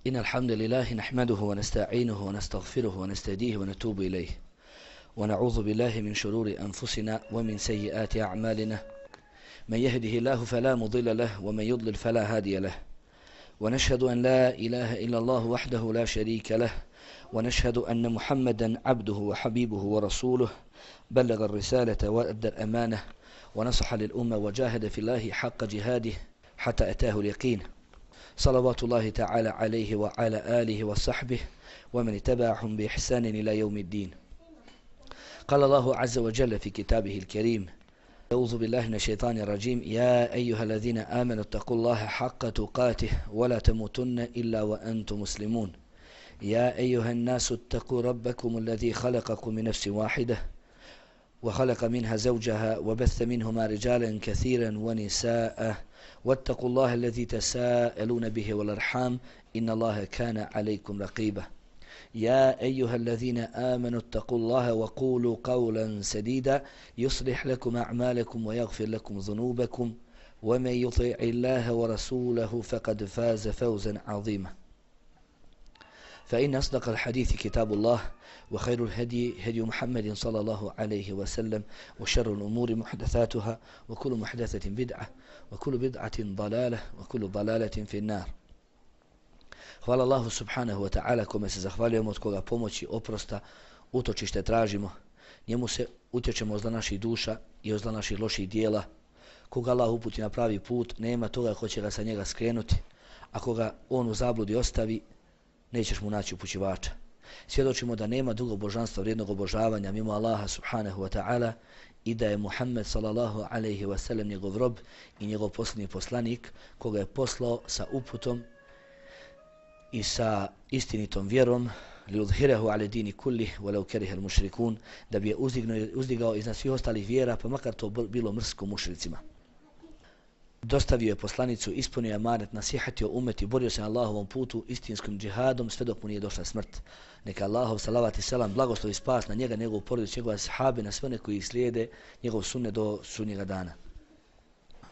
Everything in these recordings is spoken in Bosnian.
إن الحمد لله نحمده ونستعينه ونستغفره ونستهديه ونتوب إليه ونعوذ بالله من شرور أنفسنا ومن سيئات أعمالنا من يهده الله فلا مضل له ومن يضلل فلا هادي له ونشهد أن لا إله إلا الله وحده لا شريك له ونشهد أن محمدا عبده وحبيبه ورسوله بلغ الرسالة وأدى الأمانة ونصح للأمة وجاهد في الله حق جهاده حتى أتاه اليقين صلوات الله تعالى عليه وعلى آله وصحبه ومن اتبعهم بإحسان إلى يوم الدين. قال الله عز وجل في كتابه الكريم: أعوذ بالله من الشيطان الرجيم: يا أيها الذين آمنوا اتقوا الله حق تقاته ولا تموتن إلا وأنتم مسلمون. يا أيها الناس اتقوا ربكم الذي خلقكم من نفس واحدة وخلق منها زوجها وبث منهما رجالا كثيرا ونساء واتقوا الله الذي تساءلون به والأرحام إن الله كان عليكم رقيبا. يا أيها الذين آمنوا اتقوا الله وقولوا قولا سديدا يصلح لكم أعمالكم ويغفر لكم ذنوبكم ومن يطع الله ورسوله فقد فاز فوزا عظيما. فإن أصدق الحديث كتاب الله وخير الهدي هدي محمد صلى الله عليه وسلم وشر الأمور محدثاتها وكل محدثة بدعة وكل بدعة ضلالة وكل ضلالة في النار. Hvala Allahu subhanahu wa ta'ala kome se zahvaljujemo, od koga pomoći, oprosta, utočište tražimo. Njemu se utječemo od zla naših duša i od zla naših loših dijela. Koga Allah uputi na pravi put, nema toga ko će ga sa njega skrenuti. A koga on u zabludi ostavi, nećeš mu naći upućivača. Svjedočimo da nema drugog božanstva vrijednog obožavanja mimo Allaha subhanahu wa ta'ala i da je Muhammed sallallahu alaihi wa sallam njegov rob i njegov posljednji poslanik koga je poslao sa uputom i sa istinitom vjerom liudhirahu ala dini kulli walau karihal mushrikun, da bi je uzdigao iznad svih ostalih vjera, pa makar to bilo mrsko mušricima. Dostavio je poslanicu, ispunio je amanet, nasihatio umet i borio se na Allahovom putu istinskim džihadom sve dok mu nije došla smrt. Neka Allahov salavat i selam, blagoslov i spas na njega, njegovu porodicu, njegove sahabe, na sve one koji slijede njegov sunnet do sudnjega dana.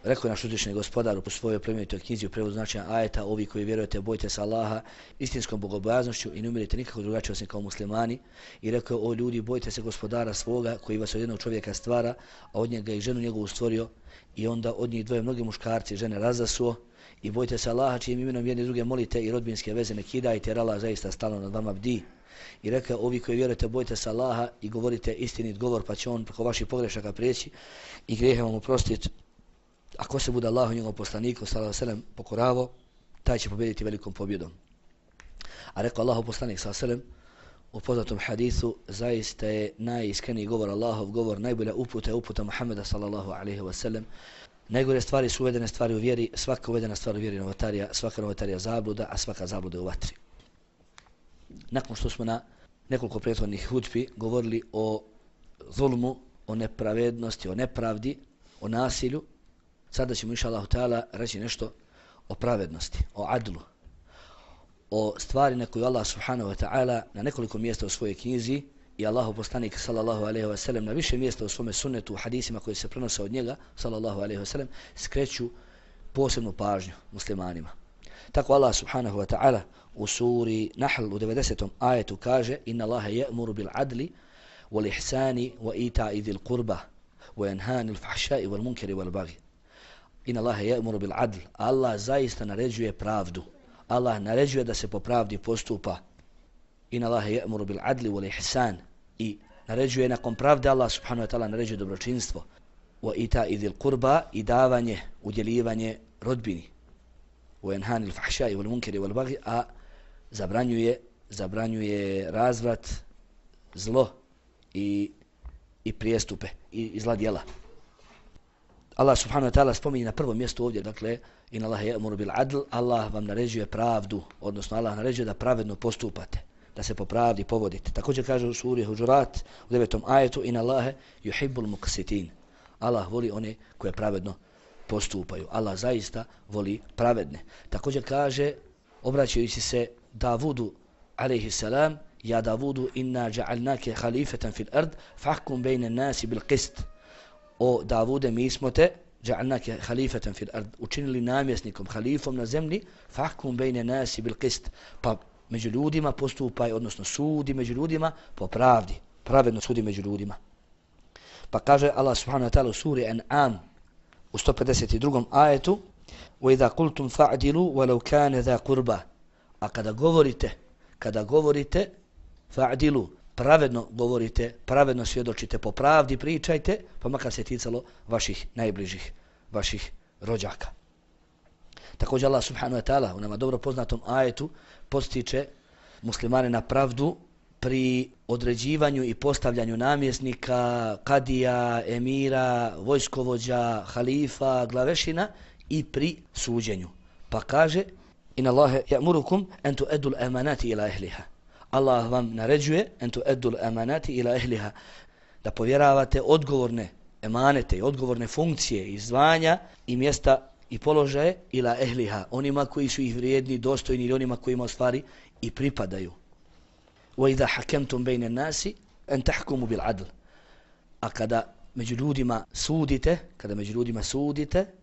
Rekao je naš uzvišeni gospodar u svojoj plemenitoj knjizi u prevodu značenja ajeta: ovi koji vjerujete, bojte se Allaha istinskom bogobojaznošću i ne umirite nikako drugačije osim kao muslimani. I rekao: o ljudi, bojte se gospodara svoga koji vas od jednog čovjeka stvara, a od njega i ženu njegovu stvorio, i onda od njih dvoje mnogi muškarci i žene razasuo. I bojte se Allaha čijim imenom jedni druge molite i rodbinske veze ne kidajte, jer Allah zaista stalno nad vama bdi. I rekao: ovi koji vjerujete, bojte se Allaha i govorite istinit govor, pa će on preko vaših pogrešaka prijeći i grijehe vam oprostiti. Ako se bude Allahu njegovom poslaniku sallallahu alejhi ve sellem pokoravo, taj će pobijediti velikom pobjedom. A rekao Allahov poslanik sallallahu alejhi ve sellem u poznatom hadisu: zaista je najiskreniji govor Allahov govor, najbolja uputa je uputa Muhameda sallallahu alejhi ve sellem. Najgore stvari su uvedene stvari u vjeri, svaka uvedena stvar u vjeri novotarija, svaka novotarija zabluda, a svaka zabluda u vatri. Nakon što smo na nekoliko prethodnih hudbi govorili o zulmu, o nepravednosti, o nepravdi, o nasilju, sada ćemo inša Allahu ta'ala reći nešto o pravednosti, o adlu, o stvari na koju Allah subhanahu wa ta'ala na nekoliko mjesta u svojoj knjizi i Allahov poslanik sallallahu alejhi ve sellem na više mjesta u svome sunnetu, u hadisima koji se prenose od njega sallallahu alejhi ve sellem, skreću posebnu pažnju muslimanima. Tako Allah subhanahu wa ta'ala u suri Nahl u 90. ajetu kaže: inna Allaha ya'muru bil adli wal ihsani wa ita'i dhil qurba wa yanha 'anil fahsha'i wal munkari wal baghi. Inna Allaha ya'muru bil adl. Allah zaista naređuje pravdu. Allah naređuje da se po pravdi postupa. Inna Allaha ya'muru bil adli wal ihsan. I naređuje nakon pravde, Allah subhanahu wa ta'ala naređuje dobročinstvo. Wa ita'i dhil qurba, i davanje, udjeljivanje rodbini. Wa yanha 'anil fahsha'i wal munkari wal baghi, a zabranjuje razvrat, zlo i prijestupe i zla djela. Allah subhanahu wa ta'ala spominje na prvom mjestu ovdje, dakle, inna Allaha ya'muru bil adl, Allah vam naređuje pravdu, odnosno Allah naređuje da pravedno postupate, da se po pravdi povodite. Također kaže u suri Huđurat u 9. ajetu: inna Allaha yuhibbul muqsitin. Allah voli one koje pravedno postupaju. Allah zaista voli pravedne. Također kaže, obraćajući se Davudu alejhi salam: ja Davudu, inna ja'alnake khalifatan fil ard fahkum bejne nasi bil qist. O Davude, mi smo te ja'alnaka khalifatan fil ard, učinili namjesnikom, halifom na zemlji, fahkum bejne nasi bil qist, pa među ljudima postupaj, odnosno sudi među ljudima po pravdi, pravedno sudi među ljudima. Pa kaže Allah subhanahu wa ta'ala u suri An'am u 152. ajetu: وَإِذَا قُلْتُمْ فَعْدِلُوا وَلَوْ كَانَ ذَا قُرْبَ. A kada govorite fa'dilu, pravedno govorite, pravedno svjedočite, po pravdi pričajte, pa makar se ticalo vaših najbližih, vaših rođaka. Također Allah subhanahu wa ta'ala u nama dobro poznatom ajetu postiče muslimane na pravdu pri određivanju i postavljanju namjesnika, kadija, emira, vojskovođa, halifa, glavešina i pri suđenju. Pa kaže: Inna Allahe ya'murukum an tu'addu al-amanati ila ahliha. Allah vam naređuje an tu'addu al-amanati ila ahliha, da povjeravate odgovorne emanete i odgovorne funkcije i zvanja i mjesta i položaje ila ehliha, onima koji su ih vrijedni, dostojni ili onima kojima u stvari i pripadaju. وَإِذَا حَكَمْتُمْ بَيْنَ النَّاسِ أَنْ تَحْكُمُوا بِالْعَدْلِ. A kada među ljudima sudite,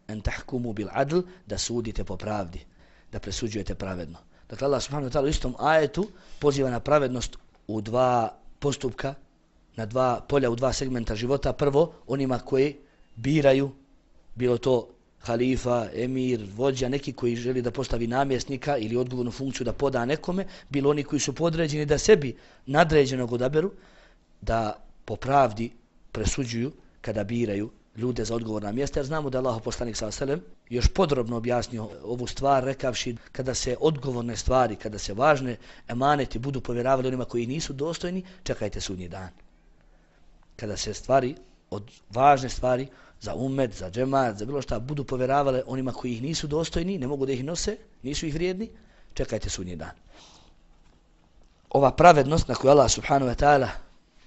أَنْ تَحْكُمُوا بِالْعَدْلِ, da sudite po pravdi, da presuđujete pravedno. Dakle, Allah subhanahu wa ta'ala u istom ajetu poziva na pravednost u dva postupka, na dva polja, u dva segmenta života. Prvo, onima koji biraju, bilo to halifa, emir, vođa, neki koji želi da postavi namjesnika ili odgovornu funkciju da poda nekome, bilo oni koji su podređeni da sebi nadređenog odaberu, da po pravdi presuđuju kada biraju ljude za odgovorna mjesta, jer znamo da je Allahov poslanik sallallahu alejhi ve sellem još podrobno objasnio ovu stvar rekavši: kada se odgovorne stvari, kada se važne emaneti budu povjeravali onima koji nisu dostojni, čekajte sudnji dan. Kada se stvari, od važne stvari za umet, za džemat, za bilo šta budu povjeravale onima koji ih nisu dostojni, ne mogu da ih nose, nisu ih vrijedni, čekajte sudnji dan. Ova pravednost na koju Allah subhanahu wa ta'ala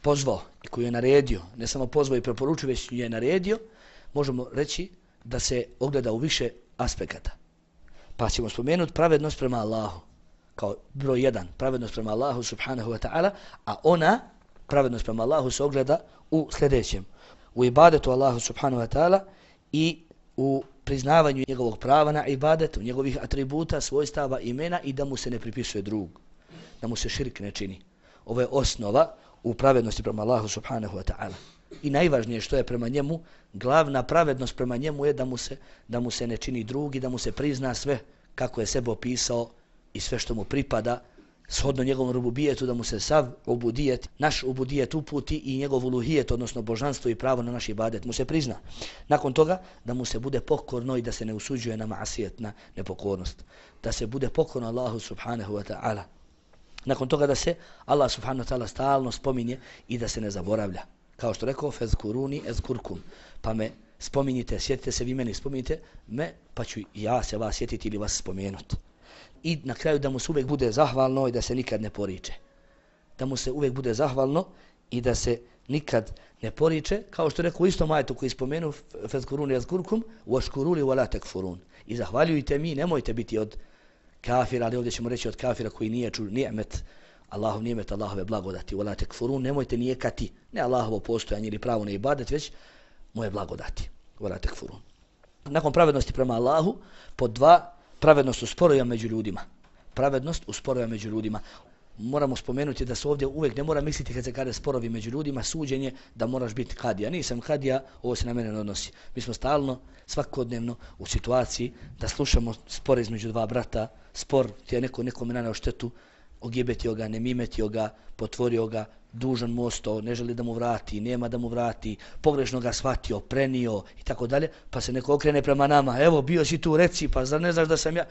pozvao i koju je naredio, ne samo pozvao i preporučio, već je naredio, možemo reći da se ogleda u više aspekata. Pa ćemo spomenuti pravednost prema Allahu kao broj 1, pravednost prema Allahu subhanahu wa ta'ala, a ona, pravednost prema Allahu, se ogleda u sljedećem: u ibadetu Allahu subhanahu wa ta'ala i u priznavanju njegovog prava na ibadetu, njegovih atributa, svojstava, imena i da mu se ne pripisuje drug, da mu se širk ne čini. Ovo je osnova u pravednosti prema Allahu subhanahu wa ta'ala. I najvažnije što je prema njemu, glavna pravednost prema njemu je da mu se ne čini drug i da mu se prizna sve kako je sebe opisao i sve što mu pripada, shodno njegovom rububijetu, da mu se sav ubudijet, naš ubudijet uputi i njegov uluhijet, odnosno božanstvo i pravo na naš ibadet mu se prizna. Nakon toga da mu se bude pokorno i da se ne usuđuje na ma'asijet, na nepokornost. Da se bude pokorno Allahu subhanahu wa ta'ala. Nakon toga da se Allah subhanahu wa ta'ala stalno spominje i da se ne zaboravlja. Kao što rekao: fezkuruni ezkurkum. Pa me spominjite, sjetite se vi meni, spominjite me, pa ću ja se vas sjetiti ili vas spomenuti. I na kraju da mu se uvijek bude zahvalno i da se nikad ne poriče. Da mu se uvijek bude zahvalno i da se nikad ne poriče, kao što rekao u istom ajetu koji spomenu: fezkuruni ezkurkum washkuruli wala takfurun. I zahvaljujte mi, nemojte biti od kafira, ali ovdje ćemo reći od kafira koji nije čuo ni'met, Allahov ni'met, Allahove blagodati. Wala takfurun, nemojte nijekati, ne Allahovo postojanje ili pravo na ibadet, već moje blagodati. Wala takfurun. Nakon pravednosti prema Allahu, pod 2, pravednost u sporovima među ljudima. Pravednost u sporovima među ljudima. Moramo spomenuti da se ovdje uvijek ne mora misliti kad se kaže sporovi među ljudima, suđenje, da moraš biti kadija. Nisam kadija, ovo se na mene ne odnosi. Mi smo stalno, svakodnevno u situaciji da slušamo spor između dva brata, spor ti je nekome naneo štetu, ogibetio ga, nemimetio ga, potvorio ga, dužan mu ostao, ne želi da mu vrati, nema da mu vrati, pogrešno ga shvatio, prenio i tako dalje, pa se neko okrene prema nama: evo, bio si tu, reci, pa zar ne znaš da sam ja?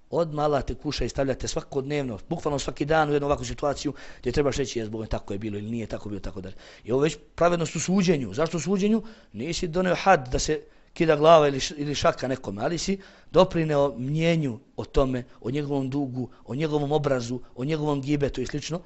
Odmah Allah te kuša i stavljate svakodnevno, bukvalno svaki dan u jednu ovakvu situaciju gdje trebaš reći: jes Boga, tako je bilo ili nije tako bilo, tako dalje. I ovo već pravednost u suđenju. Zašto u suđenju? Nisi donio had da se kida glava ili šaka nekome, ali si doprineo mnjenju o tome, o njegovom dugu, o njegovom obrazu, o njegovom gibetu i slično.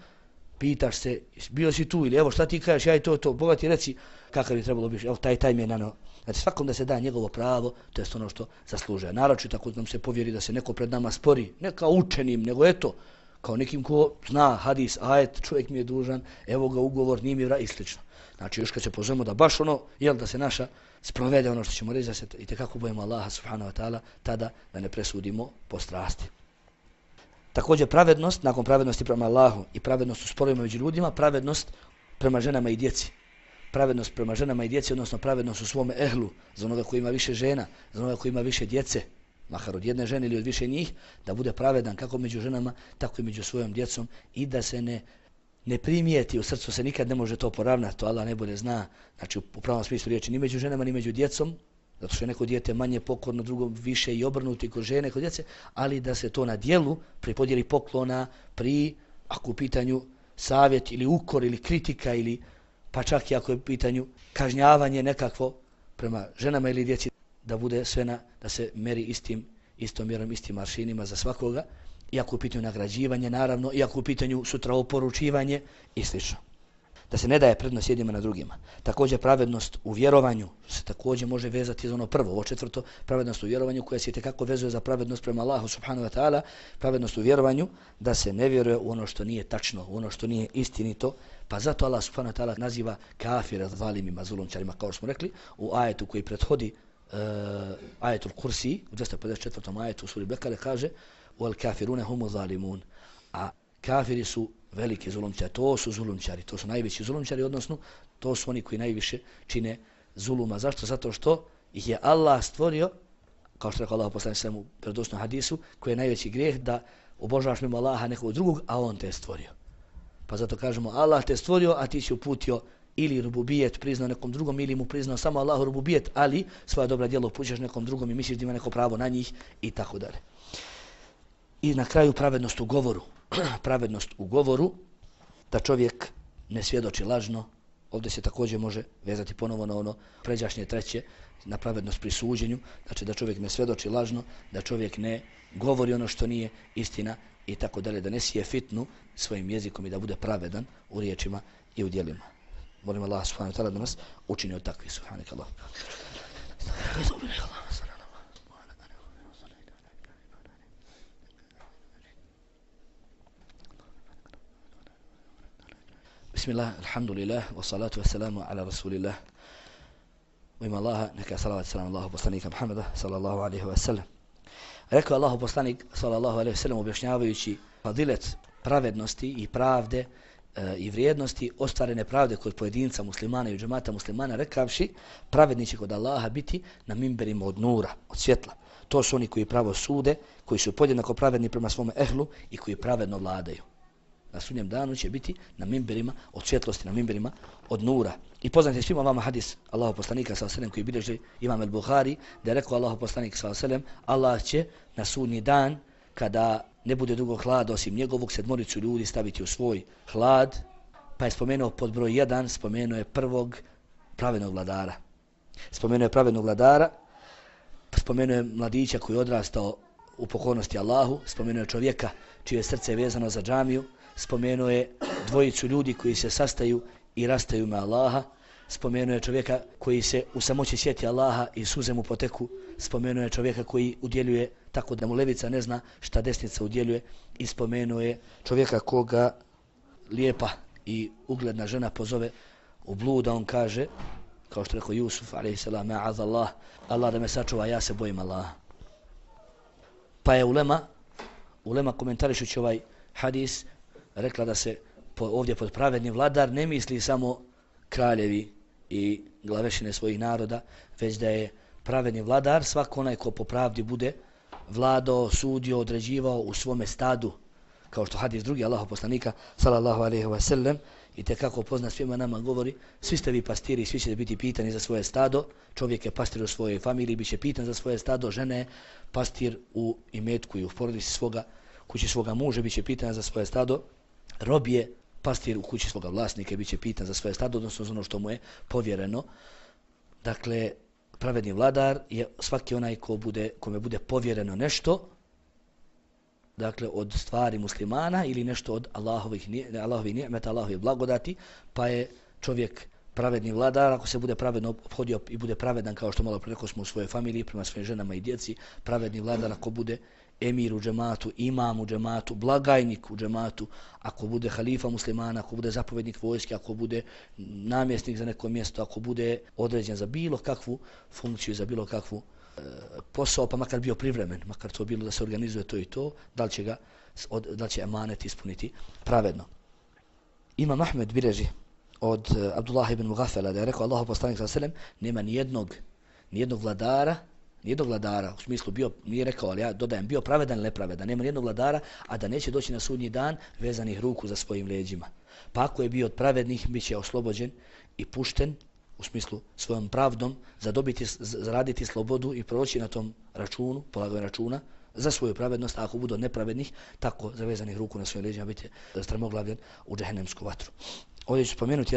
Pitaš se: bio si tu, ili evo šta ti kažeš, ja i to, Boga ti reci kakav je trebalo biti, evo taj mi je naneo. Znači svakom da se da njegovo pravo, to je ono što zaslužuje. Naročito tako nam se povjeri da se neko pred nama spori, ne kao učenim, nego eto, kao nekim ko zna hadis, ajet, čovjek mi je dužan, evo ga ugovor, nije mi i slično. Znači još kad se pozovemo da baš ono, da se naša sprovede ono što ćemo reći, da se itekako bojimo Allaha subhanahu wa ta'ala, tada da ne presudimo po strasti. Također pravednost, nakon pravednosti prema Allahu i pravednost u sporovima među ljudima, pravednost prema ženama i djeci. Pravednost prema ženama i djeci, odnosno pravednost u svome ehlu, za onoga koji ima više žena, za onoga koji ima više djece, makar od jedne žene ili od više njih, da bude pravedan kako među ženama, tako i među svojom djecom i da se ne primijeti, u srcu se nikad ne može to poravnati, to Allah najbolje zna, znači u pravom smislu riječi, ni među ženama, ni među djecom, zato što je neko dijete manje pokorno, drugo više i obrnuti kod žene, kod djece, ali da se to na djelu pri podjeli poklona, ako u pitanju savjet ili ukor ili kritika ili pa čak i ako je u pitanju kažnjavanje nekakvo prema ženama ili djeci, da bude sve da se meri istom mjerom, istim aršinima za svakoga, iako u pitanju nagrađivanje, naravno, iako u pitanju sutra oporučivanje i sl. Da se ne daje prednost jednima na drugima. Također pravednost u vjerovanju se također može vezati za ono prvo, ovo četvrto, pravednost u vjerovanju koja se itekako vezuje za pravednost prema Allahu subhanahu wa ta'ala, pravednost u vjerovanju da se ne vjeruje u ono što nije tačno, u ono što nije istinito, pa zato Allah subhanahu wa ta'ala naziva kafira zalimima, zulumčarima, kao što smo rekli, u ajetu koji prethodi ajetul Kursi, u 254. ajetu u suri Bekare kaže wal kafirune humu zalimun, a kafiri su veliki zulumčari, to su zulumčari, to su najveći zulumčari, odnosno to su oni koji najviše čine zuluma. Zašto? Zato što ih je Allah stvorio, kao što rekao Allah poslanik sallallahu alejhi ve sellem u vjerodostojnom hadisu, koji je najveći grijeh da obožavaš mimo Allaha nekog drugog, a on te je stvorio. Pa zato kažemo Allah te je stvorio, a ti si uputio ili rububijet priznao nekom drugom, ili mu priznao samo Allahu rububijet, ali svoja dobra djela upućaš nekom drugom i misliš da ima neko pravo na njih i tako dalje. I na kraju pravednost u govoru. Pravednost u govoru, da čovjek ne svjedoči lažno. Ovdje se također može vezati ponovo na ono pređašnje treće, na pravednost pri suđenju, znači da čovjek ne svjedoči lažno, da čovjek ne govori ono što nije istina i tako dalje, da ne sije fitnu svojim jezikom i da bude pravedan u riječima i u djelima. Molim Allah subhanahu wa ta'ala da nas učini od takvih. Subhanakallah. Bismillah, alhamdulillah, wa salatu wa salamu ala rasulillah. U ime Allaha, neka salavat salam Allahu poslanika Muhammada, sallallahu alaihi wa sallam. Rekao Allahu poslanik, sallallahu alaihi wa sallam, objašnjavajući fadilet pravednosti i pravde i vrijednosti ostvarene pravde kod pojedinca muslimana i džemata muslimana, rekavši, pravedni će kod Allaha biti na mimberima od nura, od svjetla. To su oni koji pravo sude, koji su podjednako pravedni prema svome ehlu i koji pravedno vladaju. Na sudnjem danu će biti na mimberima od svjetlosti, na mimberima od nura. I poznate svima vama hadis Allahu poslanika sallallahu alejhi ve sellem koji bilježi Imam al-Buhari, da je rekao Allahu poslanik sallallahu alejhi ve sellem, Allah će na sudnji dan, kada ne bude drugog hlada osim njegovog, 7 ljudi staviti u svoj hlad, pa je spomenuo pod broj 1, spomenuo je prvog pravednog vladara. Spomenuo je pravednog vladara, spomenuo je mladića koji je odrastao u pokornosti Allahu, spomenuo je čovjeka čije je srce vezano za džamiju, spomenuo je 2 ljudi koji se sastaju i rastaju me Allaha, spomenuo je čovjeka koji se u samoći sjeti Allaha i suze mu poteku, spomenuo je čovjeka koji udjeljuje tako da mu levica ne zna šta desnica udjeljuje i spomenuo je čovjeka koga lijepa i ugledna žena pozove u blud, on kaže, kao što rekao Jusuf a.s. ma'azallah, Allah da me sačuva, ja se bojim Allaha. Pa je ulema komentarišući ovaj hadis rekla da se ovdje pod pravedni vladar ne misli samo kraljevi i glavešine svojih naroda, već da je pravedni vladar svako onaj ko po pravdi bude vladao, sudio, određivao u svome stadu, kao što hadis drugi Allahov poslanika sallallahu alejhi ve sellem i te kako pozna svima nama govori, svi ste vi pastiri, svi ćete biti pitani za svoje stado, čovjek je pastir u svojoj familiji, biće pitan za svoje stado, žena je pastir u imetku i u porodici svoga, kući svoga muža, biće pitan za svoje stado, rob je pastir u kući svoga vlasnika, biće pitan za svoje stado, odnosno za ono što mu je povjereno. Dakle, pravedni vladar je svaki onaj kome bude povjereno nešto, dakle od stvari muslimana ili nešto od Allahovih ni'meta, Allahovih blagodati, pa je čovjek pravedni vladar ako se bude pravedno obhodio i bude pravedan, kao što malo preko smo u svojoj familiji prema svojim ženama i djeci, pravedni vladar ako bude emir u džematu, imam u džematu, blagajnik u džematu, ako bude halifa muslimana, ako bude zapovjednik vojske, ako bude namjesnik za neko mjesto, ako bude određen za bilo kakvu funkciju, za bilo kakvu posao, pa makar bio privremen, makar to bilo da se organizuje to i to, da li će emanet ispuniti pravedno. Imam Ahmed bilježi od Abdullah ibn Mughafela da je rekao Allahu poslanik sallallahu alejhi ve sellem nema nijednog vladara, u smislu bio, nije rekao, ali ja dodajem bio pravedan ili nepravedan, nema nijednog vladara, a da neće doći na sudnji dan vezanih ruku za svojim leđima. Pa ako je bio od pravednih, bit će oslobođen i pušten, u smislu svojom pravdom, zaraditi slobodu i proći na tom računu, polaganju računa, za svoju pravednost, a ako budu od nepravednih, tako zavezanih ruku na svojim leđima, bit će strmoglavljen u džehennemsku vatru. Ovdje ću spomenuti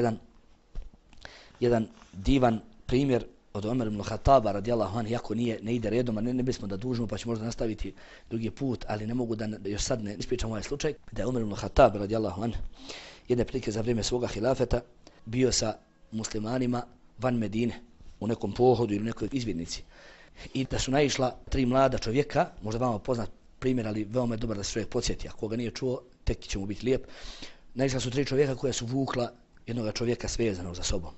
jedan divan primjer od Omer ibn Khattaba radijallahu anhu, iako ne ide redom, a ne bismo da dužimo, pa ću možda nastaviti drugi put, ali ne mogu da još sad ne ispričam ovaj slučaj, da je Omer ibn Khattab radijallahu anhu jedne prilike za vrijeme svoga hilafeta bio sa muslimanima van Medine, u nekom pohodu ili nekoj izvidnici. I da su naišla 3 mlada čovjeka, možda vama poznat primjer, ali veoma je dobar da se čovjek podsjeti, ako ga nije čuo, tek će mu biti lijep. Naišla su 3 čovjeka koja su vukla jednog čovjeka svezanog za sobom.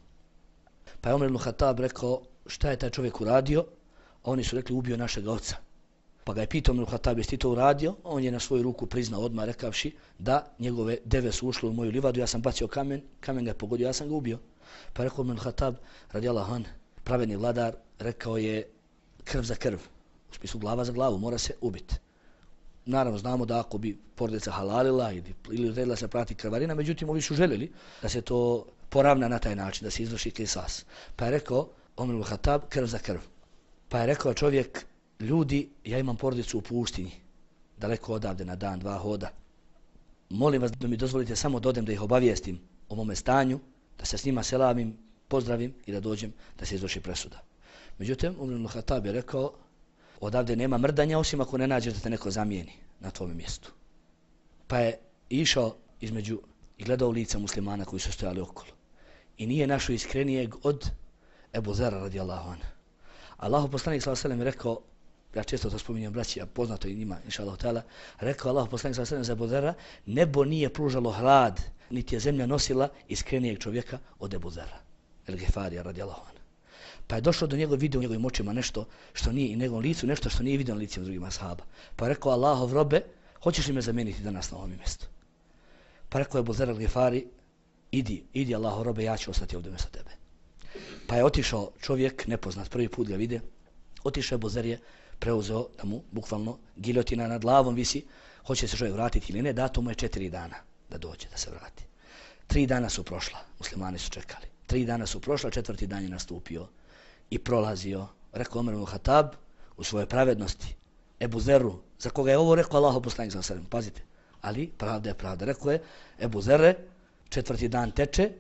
Pa je Omer ibn Khattab rekao šta je taj čovjek uradio, a oni su rekli ubio našeg oca. Pa ga je pitao Omer ibn Khattab jesi ti to uradio, on je na svoju ruku priznao odmah rekavši da njegove deve su ušle u moju livadu, ja sam bacio kamen ga je pogodio, ja sam ga ubio. Pa je rekao Omer ibn Khattab radijallahu anhu, pravedni vladar, rekao je krv za krv, u smislu glava za glavu, mora se ubiti. Naravno znamo da ako bi porodica halalila ili redila se prati krvarina, međutim ovi su željeli da se to poravna na taj način, da se izvrši kisas. Pa je rekao Omer ibn Khattab krv za krv. Pa je rekao čovjek, ljudi, ja imam porodicu u pustinji, daleko odavde na dan, 2 hoda. Molim vas da mi dozvolite samo da odem da ih obavijestim o mome stanju, da se s njima selamim, pozdravim i da dođem da se izvrši presuda. Međutim, Omer ibn Khattab je rekao, odavde nema mrdanja osim ako ne nađeš da te neko zamijeni na tvome mjestu. Pa je išao između i gledao lica muslimana koji su stojali okolo. I nije našao iskrenijeg od Ebu Zera radijallahu anhu. Allahu poslanik sallallahu alejhi ve sellem rekao, ja često to spominjem braći, a poznato i njima inshallah taala, rekao Allahu poslanik sallallahu alejhi ve sellem za Ebu Zera, nebo nije pružalo hlad, niti je zemlja nosila iskrenijeg čovjeka od Ebu Zera el Gifarija radijallahu anhu. Pa je došlo do njega, vidio u njegovim očima nešto što nije i njegovom licu, nešto što nije vidio na licima drugih ashaba. Pa je rekao Allahov robe, hoćeš li me zamijeniti danas na ovom mjestu? Pa rekao je Ebu Zer al-Gifari, idi Allahov robe, ja ću ostati ovdje mjesto tebe. Pa je otišao čovjek, nepoznat, prvi put ga vide, otišao Ebu Zer je preuzeo da mu bukvalno giljotina nad glavom visi, hoće se čovjek vratiti ili ne, dato mu je 4 dana da dođe, da se vrati. 3 dana su prošla, muslimani su čekali. 3 dana su prošla, 4. dan je nastupio i prolazio. Rekao Omer ibn Khattab u svojoj pravednosti Ebu Zeru, za koga je ovo rekao Allahu poslanik sallallahu alejhi ve sellem, pazite, ali pravda je pravda. Rekao je Ebu Zere, 4. dan teče,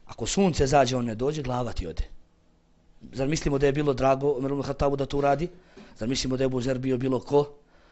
ako sunce zađe on ne dođe, glava ti ode. Zar mislimo da je bilo drago Omer ibn Khattabu da to uradi? Zar mislimo da je Ebu Zer bio bilo ko?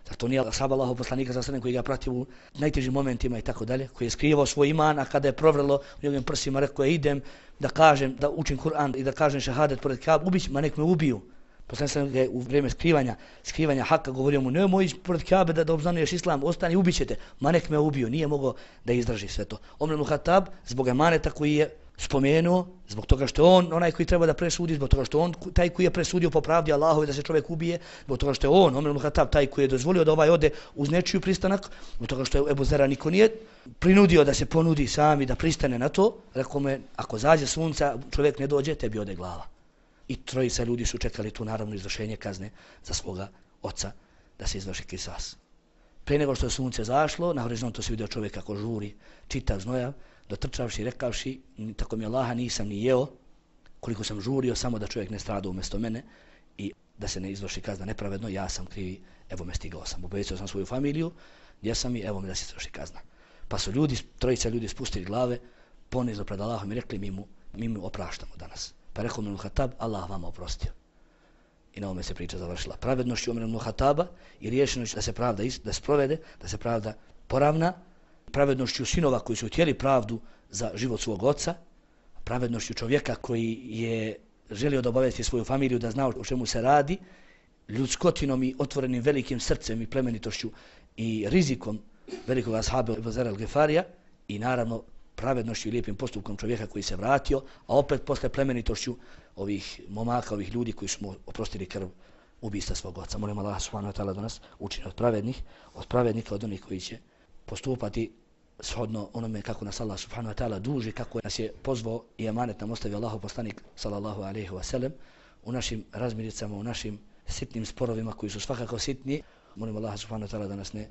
Zar to nije ashab Allahu poslanika sallallahu alejhi ve sellem koji ga pratio u najtežim momentima i tako dalje, koji je skrivao svoj iman, a kada je provrelo u njegovim prsima rekao je idem da kažem, da učim Kur'an i da kažem šehadet pored Kabe, ubić, ma nek me ubiju. Poslanik sallallahu alejhi ve sellem u vrijeme skrivanja haka govorio mu nemoj ići pored Kabe da obznanuješ islam, ostani, ubićete, ma nek me ubiju, nije mogao da izdrži sve to. Omer ibn Khattab zbog emaneta koji je spomenuo, zbog toga što on onaj koji treba da presudi, zbog toga što on taj koji je presudio po pravdi Allahove da se čovjek ubije, zbog toga što je on, Omer ibn Khattab, taj koji je dozvolio da ovaj ode uz nečiju pristanak, zbog toga što je Ebu Zera niko nije prinudio da se ponudi sami da pristane na to, rekao me, ako zađe sunca, čovjek ne dođe, tebi ode glava. I 3 ljudi su čekali tu naravno izvršenje kazne za svoga oca da se izvrši kisas. Prije nego što je sunce zašlo, na horizontu se vidio čovjek kako žuri, čitav znojav, dotrčavši i rekavši, tako mi Allaha nisam ni jeo, koliko sam žurio, samo da čovjek ne strada umjesto mene i da se ne izvrši kazna nepravedno, ja sam krivi, evo me stigao sam, obećao sam svoju familiju, gdje sam i evo me da se izvrši kazna. Pa su 3 ljudi spustili glave, ponizli pred Allahom i rekli mi mu opraštamo danas. Pa rekao Omer ibn Khattab, Allah vama oprostio. I na ovome se priča završila. Pravednošću Omer ibn Khattaba i riješenošću da se pravda da sprovede, da se pravda poravna, pravednošću sinova koji su htjeli pravdu za život svog oca, pravednošću čovjeka koji je želio da obavesti svoju familiju, da zna o čemu se radi ljudskotinom i otvorenim velikim srcem i plemenitošću i rizikom velikog ashaba Ebu Zer al-Gifarija i naravno pravednošću i lijepim postupkom čovjeka koji se vratio, a opet posle plemenitošću ovih momaka, ovih ljudi koji su mu oprostili krv ubista svog oca. Molim Allah subhanahu wa ta'ala da nas učini od pravednika, od onih koji će postupati shodno onome kako nas Allah subhanahu wa ta'ala duži, kako nas je pozvao i emanet nam ostavio Allahov poslanik sallallahu alejhi ve sellem u našim razmiricama, u našim sitnim sporovima koji su svakako sitni. Molim Allah subhanahu wa ta'ala da nas ne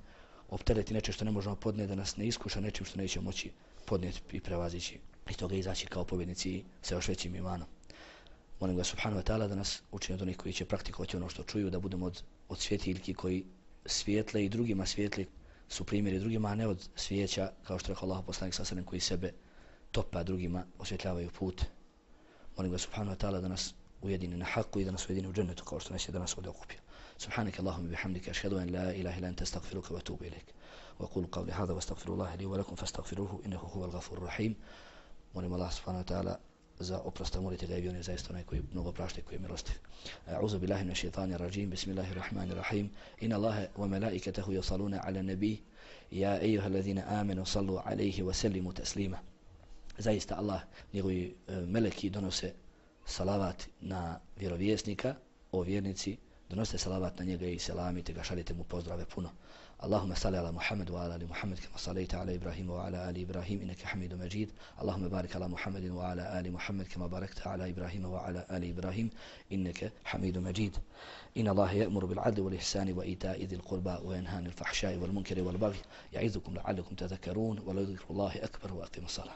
optereti nečim što ne možemo podnijeti, da nas ne iskuša nečim što nećemo moći podnijeti i prevazići i toga izaći kao pobjednici sa još većim imanom. Molim ga subhanahu wa ta'ala da nas učini od onih koji će praktikovati ono što čuju, da budemo od svjetiljki koji svijetle i drugima svijetli su primjeri drugima, a ne od svijeća, kao što rekao Allah poslanik sallallahu alejhi ve sellem, koji sebe topa drugima osvjetljavaju put. Molim ga subhanahu wa ta'ala da nas ujedini na haku i da nas ujedini u džennetu kao što nas je danas ovdje okupio. Subhanak Allahumma bihamdika ashhadu an la ilaha illa anta astaghfiruka wa atubu ilaik. Wa aqulu qawli hadha wa astaghfirullaha li wa lakum fastaghfiruhu innahu huwal ghafurur rahim. Molim Allah subhanahu wa ta'ala za oprosta, molite ga i on je zaista onaj koji mnogo prašta i koji je milostiv. A'udhu billahi minash shaitanir rajim. Bismillahir rahmanir rahim. Inna Allaha wa malaikatahu yusalluna 'alan nabiy ya ayyuhalladhina amanu sallu 'alayhi wa sallimu taslima. Zaista Allah, njegovi meleki donose salavat na vjerovjesnika, o vjernici, donosite salavat na njega i selamite ga, šaljite mu pozdrave puno. Allahumma salli ala Muhammad wa ala ali Muhammad kama sallaita ala Ibrahim wa ala ali Ibrahim innaka Hamidum Majid. Allahumma barik ala Muhammadin wa ala ali Muhammad kama barakta ala Ibrahim wa ala ali Ibrahim innaka Hamidum Majid. Inna Allaha ya'muru bil 'adli wal ihsani wa ita'i dhil qurba wa yanha 'anil fahsha'i wal munkari wal baghi ya'idhukum la'allakum tadhakkarun wa la dhikrullahi akbar wa aqimus salah.